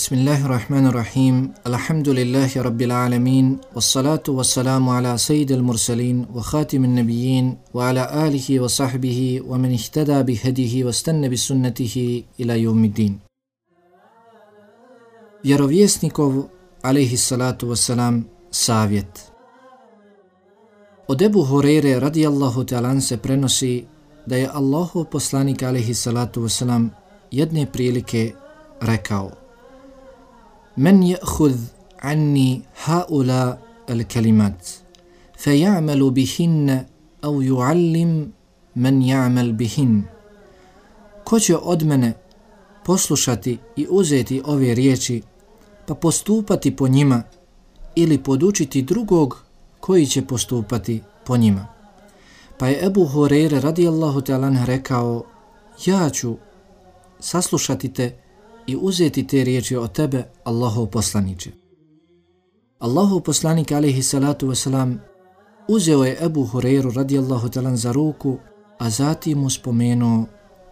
Bismillahirrahmanirrahim. Alhamdulillahi rabbil alamin. Wassalatu wassalamu ala sayyidil mursalin wa khatimin nabiyyin wa ala alihi wa sahbihi wa man ihtada bihadihi wa stanna bi sunnatihi ila yawmiddin. Vjerovjesnikov alejhi salatu wassalam savjet. Od Ebu Hurajre radijallahu ta'ala se prenosi da je Allahov poslanik alejhi salatu wassalam jedne prilike rekao: Men ya'khudh anni haula al-kalimat fay'amalu bihinna aw yu'allim man ya'mal bihin. Ko će od mene poslušati i uzeti ove riječi pa postupati po njima ili podučiti drugog koji će postupati po njima? Pa je Ebu Hurajre radijallahu ta'ala rekao: ja ću saslušati te i uzeti te riječi od tebe, Allahov poslaniče. Allahov poslanik alejhi salatu wasalam uzeo je Ebu Hurajru radijallahu ta'ala za ruku, a zatim mu spomenuo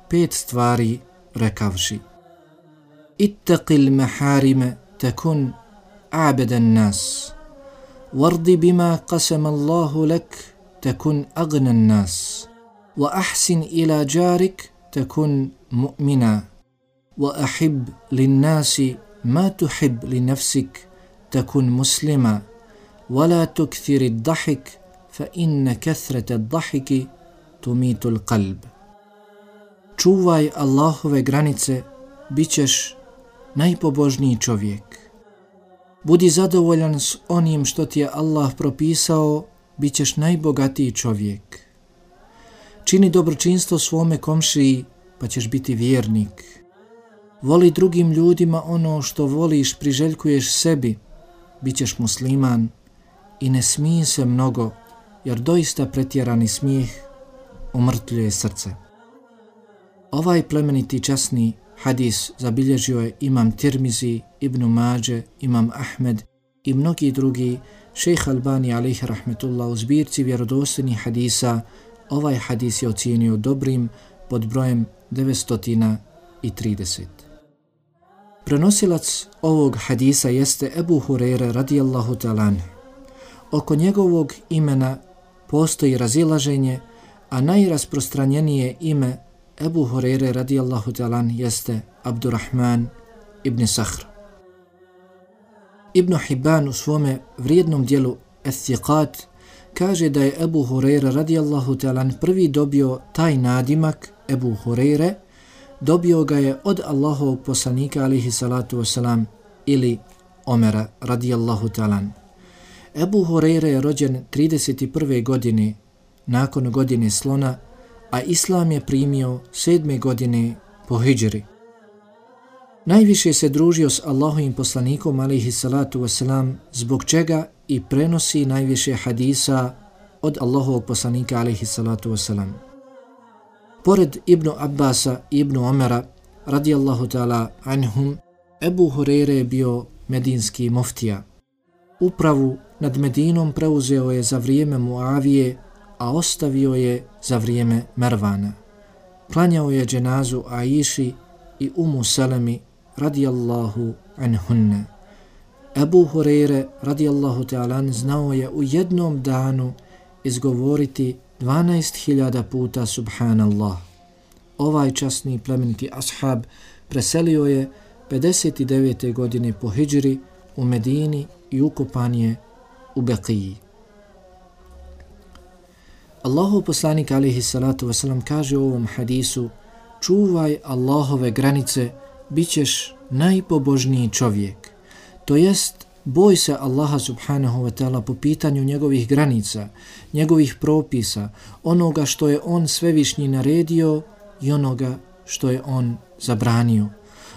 5 stvari rekavši: ittaqil maharime takun a'badan nas, wardi bima qasama Allahu lak takun agnan nas, wa ahsin ila jarik takun mu'mina, وأحب للناس ما تحب لنفسك تكن مسلما ولا تكثر الضحك فإن كثرة الضحك تميت القلب. Čuvaj Allahove granice, bit ćeš najpobožniji čovjek. Budi zadovoljan s onim što ti je Allah propisao, bit ćeš najbogatiji čovjek. Čini dobročinstvo svome komšiji, pa ćeš biti vjernik. Voli drugim ljudima ono što voliš, priželjkuješ sebi, bit ćeš musliman. I ne smij se mnogo, jer doista pretjerani smijeh umrtvljuje srce. Ovaj plemeniti časni hadis zabilježio je imam Tirmizi, Ibn Mađe, imam Ahmed i mnogi drugi. Šejh Albani alejhi rahmetullah u zbirci vjerodostojnih hadisa ovaj hadis je ocijenio dobrim pod brojem 930. Prenosilac ovog hadisa jeste Ebu Hurajre radijallahu ta'ala. Oko njegovog imena postoji razilaženje, a najrasprostranjenije ime Ebu Hurajre radijallahu ta'ala jeste Abdurrahman ibn Sahr. Ibn Hibban u svome vrijednom dijelu Eth-Thiqat kaže da je Ebu Hurajre radijallahu ta'ala prvi dobio taj nadimak Ebu Hurajre. Dobio ga je od Allahovog poslanika alejhi salatu wasalam ili Omera radijallahu ta'ala. Ebu Hurajre je rođen 31. godine nakon godine slona, a Islam je primio 7. godine po hidžri. Najviše se družio s Allahovim poslanikom alejhi salatu wasalam, zbog čega i prenosi najviše hadisa od Allahovog poslanika alejhi salatu wasalam. Pored Ibnu Abbasa i Ibnu Omera radijallahu ta'ala anhum, Ebu Hurajre je bio medinski muftija. Upravu nad Medinom preuzeo je za vrijeme Muavije, a ostavio je za vrijeme Mervana. Klanjao je dženazu Aiši i Umu Selemi radijallahu anhunne. Ebu Hurajre radijallahu ta'ala znao je u jednom danu izgovoriti 12.000 puta Subhanallah. Ovaj časni plemeniti ashab preselio je 59. godine po hidžri u Medini i ukopan je u Beqiji. Allahov poslanik alejhi salatu wasalam kaže u ovom hadisu: čuvaj Allahove granice, bit ćeš najpobožniji čovjek. To jest, boj se Allaha subhanahu wa ta'ala po pitanju njegovih granica, njegovih propisa, onoga što je on svevišnji naredio i onoga što je on zabranio.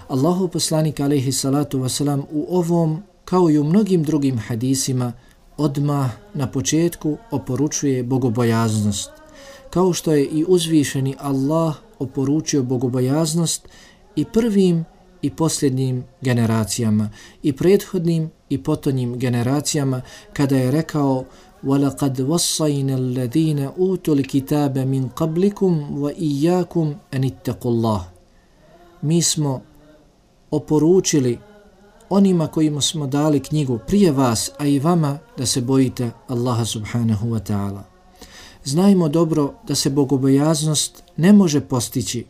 Allahov poslanik alejhi salatu wasalam u ovom, kao i u mnogim drugim hadisima, odmah na početku oporučuje bogobojaznost. Kao što je i uzvišeni Allah oporučio bogobojaznost i prvim i posljednjim generacijama, i prethodnim i potonjim generacijama, kada je rekao: وَلَقَدْ وَصَّيْنَا الَّذِينَ أُوتُوا الْكِتَابَ مِنْ قَبْلِكُمْ وَإِيَّاكُمْ أَنِ اتَّقُوا اللَّهَ. Mi smo oporučili onima kojima smo dali knjigu prije vas, a i vama da se bojite Allaha subhanahu wa ta'ala. Znajmo dobro da se bogobojaznost ne može postići,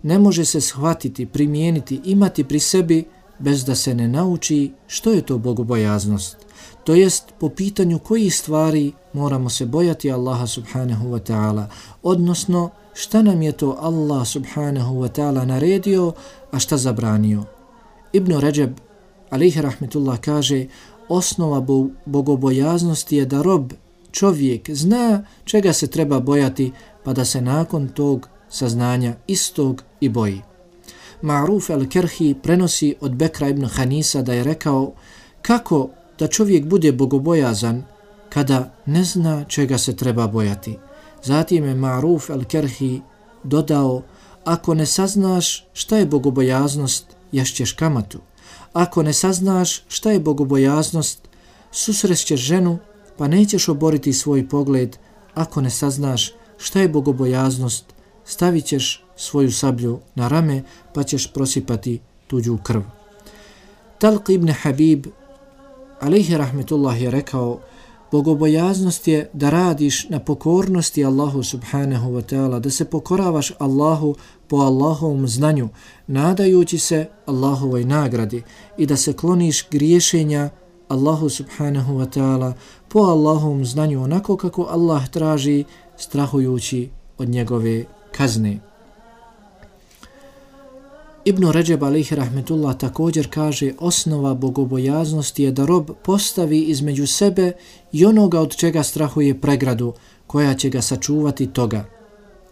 ne može se shvatiti, primijeniti, imati pri sebi bez da se ne nauči što je to bogobojaznost. To jest po pitanju kojih stvari moramo se bojati Allaha subhanahu wa ta'ala, odnosno šta nam je to Allah subhanahu wa ta'ala naredio, a šta zabranio. Ibn Ređeb, alejhi rahmetullah, kaže: osnova bogobojaznosti je da rob, čovjek, zna čega se treba bojati, pa da se nakon tog saznanja istog i boji. Ma'ruf al-Kerhi prenosi od Bekra ibn Hanisa da je rekao: kako da čovjek bude bogobojazan kada ne zna čega se treba bojati? Zatim je Ma'ruf al-Kerhi dodao: ako ne saznaš šta je bogobojaznost, ješćeš kamatu. Ako ne saznaš šta je bogobojaznost, susrećeš ženu pa nećeš oboriti svoj pogled. Ako ne saznaš šta je bogobojaznost, stavit ćeš svoju sablju na rame pa ćeš prosipati tuđu krv. Talq ibn Habib, alejhi rahmetullah, je rekao: bogobojaznost je da radiš na pokornosti Allahu subhanahu wa ta'ala, da se pokoravaš Allahu po Allahovom znanju, nadajući se Allahovoj nagradi, i da se kloniš griješenja Allahu subhanahu wa ta'ala po Allahovom znanju, onako kako Allah traži, strahujući od njegove kazne. Ibn Ređeb, alejhi rahmetullah, također kaže: osnova bogobojaznosti je da rob postavi između sebe i onoga od čega strahuje pregradu koja će ga sačuvati toga,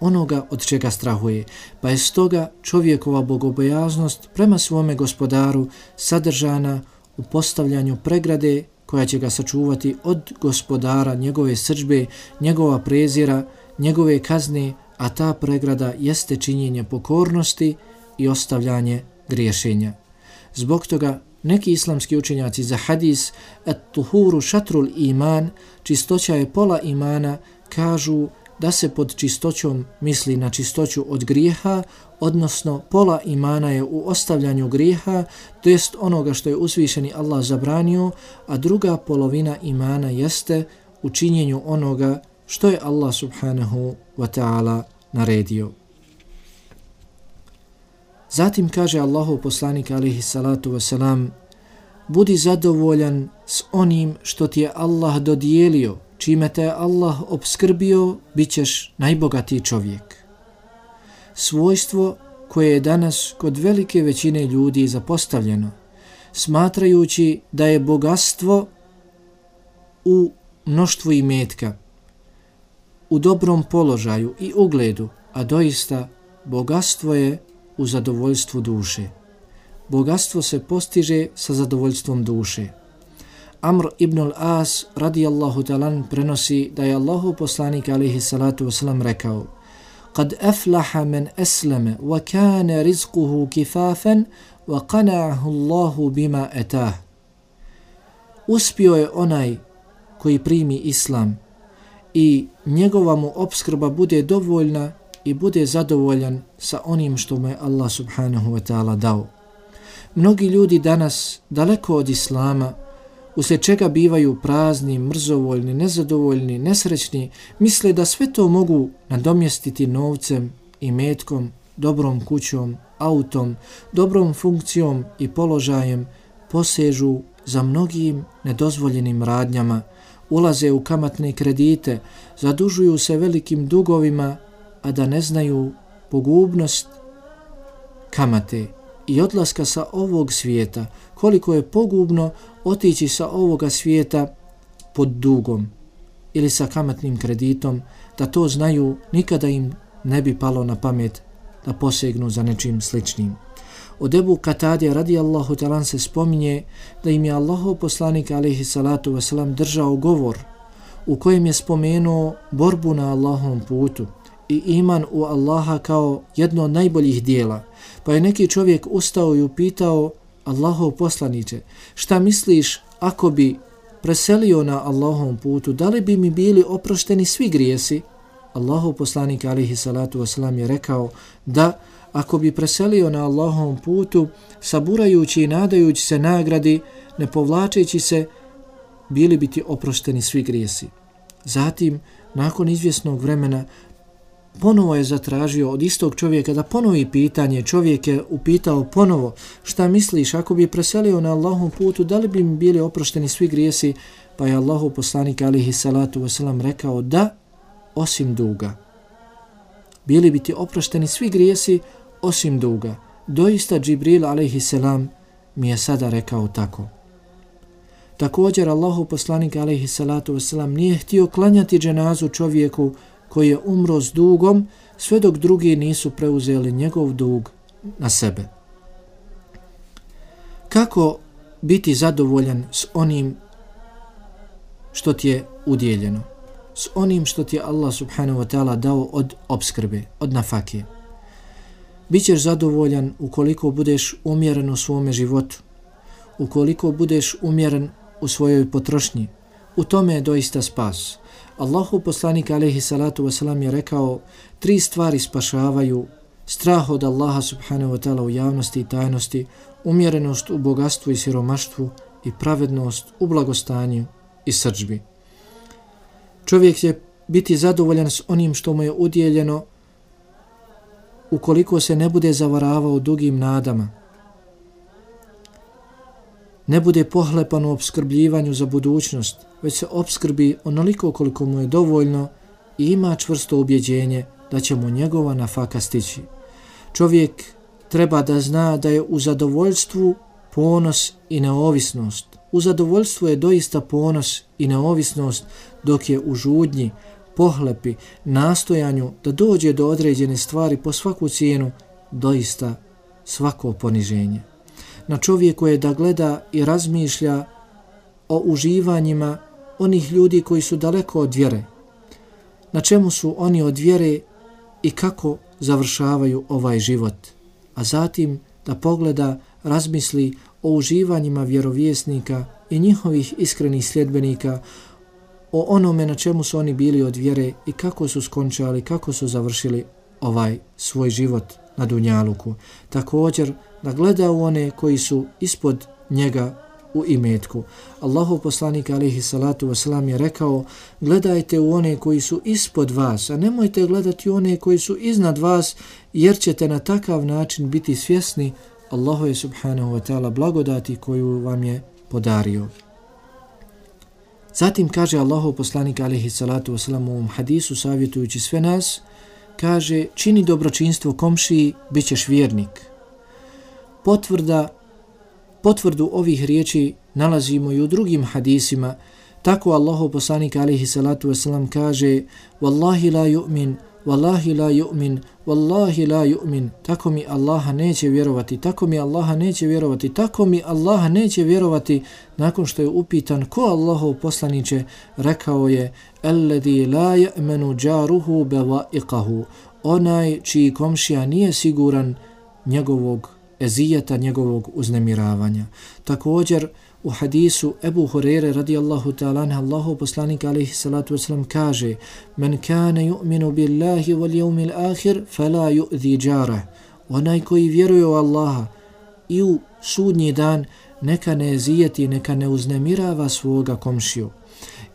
onoga od čega strahuje, pa je stoga čovjekova bogobojaznost prema svome gospodaru sadržana u postavljanju pregrade koja će ga sačuvati od gospodara, njegove srdžbe, njegova prezira, njegove kazne, a ta pregrada jeste činjenje pokornosti i ostavljanje griješenja. Zbog toga neki islamski učenjaci za hadis at-tuhuru šatrul iman, čistoća je pola imana, kažu da se pod čistoćom misli na čistoću od grijeha, odnosno pola imana je u ostavljanju grijeha, to jest onoga što je uzvišeni Allah zabranio, a druga polovina imana jeste u činjenju onoga što je Allah subhanahu wa ta'ala naredio. Zatim kaže Allahov poslanik alejhi salatu vesselam: budi zadovoljan s onim što ti je Allah dodijelio, čime te je Allah opskrbio, bit ćeš najbogatiji čovjek. Svojstvo koje je danas kod velike većine ljudi zapostavljeno, smatrajući da je bogatstvo u mnoštvu imetka, u dobrom položaju i ugledu, a doista bogatstvo je u zadovoljstvu duše. Bogatstvo se postiže sa zadovoljstvom duše. Amr ibn al-As radijallahu talan prenosi da je Allahov poslanik alejhi salatu vesselam rekao: kad aflaha men aslama wa kana rizquhu kifafan wa qana'ahu Allahu bima atah. Uspio je onaj koji primi islam i njegova mu opskrba bude dovoljna i bude zadovoljan sa onim što mu je Allah subhanahu wa ta'ala dao. Mnogi ljudi danas, daleko od islama, uslijed čega bivaju prazni, mrzovoljni, nezadovoljni, nesrećni, misle da sve to mogu nadomjestiti novcem i metkom, dobrom kućom, autom, dobrom funkcijom i položajem, posežu za mnogim nedozvoljenim radnjama, ulaze u kamatne kredite, zadužuju se velikim dugovima, a da ne znaju pogubnost kamate i odlaska sa ovog svijeta, koliko je pogubno otići sa ovoga svijeta pod dugom ili sa kamatnim kreditom, da to znaju, nikada im ne bi palo na pamet da posegnu za nečim sličnim. Od Ebu Katade radijallahu talan se spominje da im je Allahov poslanik alejhi salatu vesselam držao govor u kojem je spomenuo borbu na Allahovom putu i iman u Allaha kao jedno od najboljih dijela. Pa je neki čovjek ustao i upitao: Allahov poslaniče, šta misliš ako bi preselio na Allahovom putu, da li bi mi bili oprošteni svi grijesi? Allahov poslanik alejhi salatu vesselam je rekao da ako bi preselio na Allahovom putu, saburajući i nadajući se nagradi, ne povlačeći se, bili bi ti oprošteni svi grijesi. Zatim, nakon izvjesnog vremena, ponovo je zatražio od istog čovjeka da ponovi pitanje. Čovjek je upitao ponovo, šta misliš, ako bi preselio na Allahovom putu, da li bi mi bili oprošteni svi grijesi? Pa je Allahov poslanik alejhi salatu vesselam rekao da, osim duga. Bili bi ti oprošteni svi grijesi osim duga. Doista Džibril alejhi selam mi je sada rekao tako. Također Allahov poslanik alejhi salatu vesselam nije htio klanjati dženazu čovjeku koji je umro s dugom sve dok drugi nisu preuzeli njegov dug na sebe. Kako biti zadovoljan s onim što ti je udjeljeno, s onim što ti je Allah subhanahu wa ta'ala dao od opskrbe, od nafake? Bićeš zadovoljan ukoliko budeš umjeren u svome životu, ukoliko budeš umjeren u svojoj potrošnji. U tome je doista spas. Allahu poslanik alejhi salatu vesselam je rekao 3 stvari spašavaju: strah od Allaha subhanahu wa ta'ala u javnosti i tajnosti, umjerenost u bogatstvu i siromaštvu i pravednost u blagostanju i srdžbi. Čovjek će biti zadovoljan s onim što mu je udjeljeno ukoliko se ne bude zavaravao dugim nadama, ne bude pohlepan u opskrbljivanju za budućnost, već se opskrbi onoliko koliko mu je dovoljno i ima čvrsto ubjeđenje da će mu njegova nafaka stići. Čovjek treba da zna da je u zadovoljstvu ponos i neovisnost. U zadovoljstvu je doista ponos i neovisnost, dok je u žudnji, pohlepi, nastojanju da dođe do određene stvari po svaku cijenu doista svako poniženje. Na čovjeku je da gleda i razmišlja o uživanjima onih ljudi koji su daleko od vjere. Na čemu su oni od vjere i kako završavaju ovaj život. A zatim da pogleda, razmisli o uživanjima vjerovjesnika i njihovih iskrenih sljedbenika, o onome na čemu su oni bili od vjere i kako su skončali, kako su završili ovaj svoj život na dunjaluku. Također da gleda u one koji su ispod njega u imetku. Allahov poslanik alejhi salatu vesselam je rekao: gledajte u one koji su ispod vas, a nemojte gledati u one koji su iznad vas, jer ćete na takav način biti svjesni Allahove subhanahu wa ta'ala blagodati koju vam je podario. Zatim kaže Allahov poslanik alejhi salatu vesselam u ovom hadisu savjetujući sve nas, kaže: čini dobročinstvo komšiji, bit ćeš vjernik. Potvrdu ovih riječi nalazimo i u drugim hadisima. Tako Allahov poslanik alejhi salatu vesselam kaže: wallahi la yu'min, wallahi la yu'min, wallahi la yu'min. Tako mi Allaha neće vjerovati, tako mi Allaha neće vjerovati, tako mi Allaha neće vjerovati. Nakon što je upitan ko Allahov poslanice, rekao je: alladhi la ya'manu jaruhu bawa'iqahu. Onaj čiji komšija nije siguran njegovog ezijeta, njegovog uznemiravanja. Također u hadisu Ebu Hurere radijallahu ta'ala anhu Allahov poslanik alejhi salatu vesselam kaže: men kana yu'minu billahi wal yawmil akhir fala yu'zi jarah. Onaj koji vjeruje u Allaha i u sudnji dan, neka ne ezijeti, neka ne uznemirava svoga komšiju.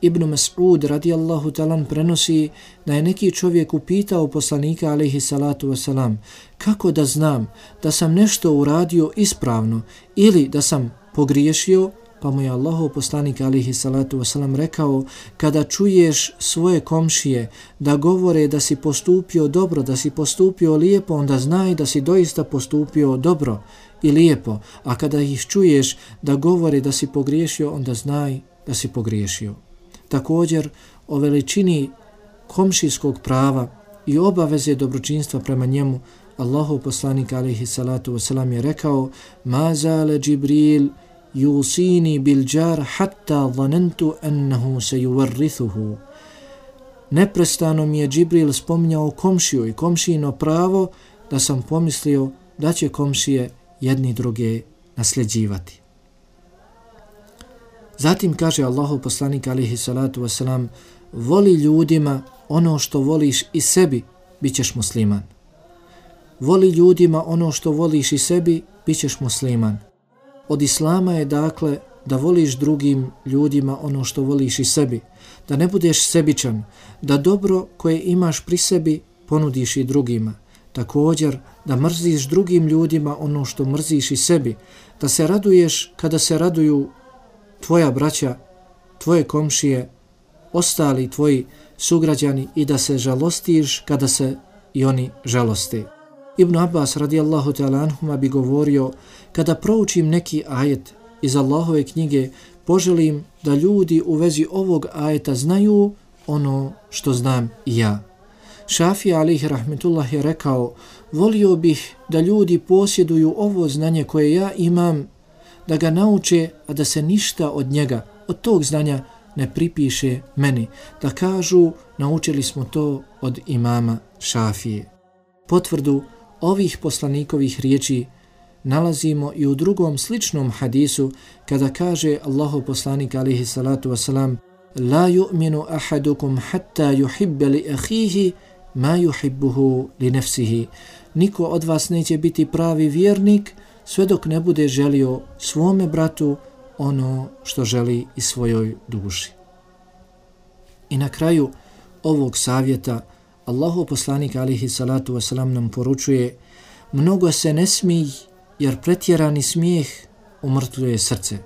Ibn Mas'ud radijallahu ta'ala prenosi da je neki čovjek upitao poslanika alejhi salatu vesselam: kako da znam da sam nešto uradio ispravno ili da sam pogriješio? Pa mu je Allahov poslanik alejhi salatu vesselam rekao: kada čuješ svoje komšije da govore da si postupio dobro, da si postupio lijepo, onda znaj da si doista postupio dobro i lijepo, a kada ih čuješ da govore da si pogriješio, onda znaj da si pogriješio. Također o veličini komšijskog prava i obaveze dobročinstva prema njemu Allahov poslanik alejhi salatu vesselam je rekao: ma zale Džibril yusini bil jar hatta zanantu annahu sayuwarrithuhu. Neprestano mi je Džibril spominjao komšiju i komšijino pravo da sam pomislio da će komšije jedni druge nasljeđivati. Zatim kaže Allahov poslanik alejhi salatu vesselam: voli ljudima ono što voliš i sebi, bit ćeš musliman. Voli ljudima ono što voliš i sebi, bit ćeš musliman. Od islama je dakle da voliš drugim ljudima ono što voliš i sebi, da ne budeš sebičan, da dobro koje imaš pri sebi ponudiš i drugima. Također da mrziš drugim ljudima ono što mrziš i sebi, da se raduješ kada se raduju tvoja braća, tvoje komšije, ostali tvoji sugrađani i da se žalostiš kada se i oni žaloste. Ibn Abbas radijallahu ta'ala anhuma bi govorio, kada proučim neki ajet iz Allahove knjige, poželim da ljudi u vezi ovog ajeta znaju ono što znam i ja. Šafija alejhi rahmetullah je rekao, volio bih da ljudi posjeduju ovo znanje koje ja imam, da ga nauče, a da se ništa od njega, od tog znanja ne pripiše meni, da kažu naučili smo to od imama Šafije. Potvrdu ovih poslanikovih riječi nalazimo i u drugom sličnom hadisu kada kaže Allahov poslanik alejhi salatu vesselam: la yu'minu ahadukum hatta yuhibba li akhihi ma yuhibbuhu li nafsihi. Niko od vas neće biti pravi vjernik sve dok ne bude želio svome bratu ono što želi i svojoj duši. I na kraju ovog savjeta Allahov poslanik alejhi salatu vesselam nam poručuje: mnogo se ne smij, jer pretjerani smijeh umrtvljuje srce.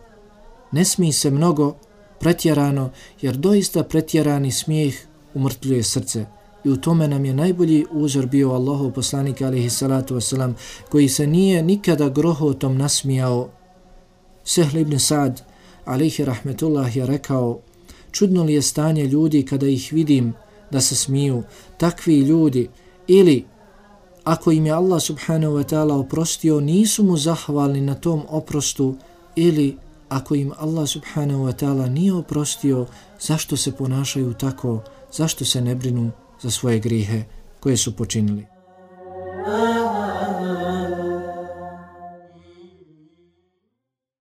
Ne smij se mnogo pretjerano, jer doista pretjerani smijeh umrtvljuje srce. I u tome nam je najbolji uzor bio Allahov poslanik alejhi salatu vesselam, koji se nije nikada grohotom nasmijao. Sehl ibn Sa'd alejhi rahmetullah je rekao: čudno li je stanje ljudi kada ih vidim da se smiju, takvi ljudi, ili ako im je Allah subhanahu wa ta'ala oprostio, nisu mu zahvalni na tom oprostu, ili ako im Allah subhanahu wa ta'ala nije oprostio, zašto se ponašaju tako, zašto se ne brinu za svoje grijehe koje su počinili.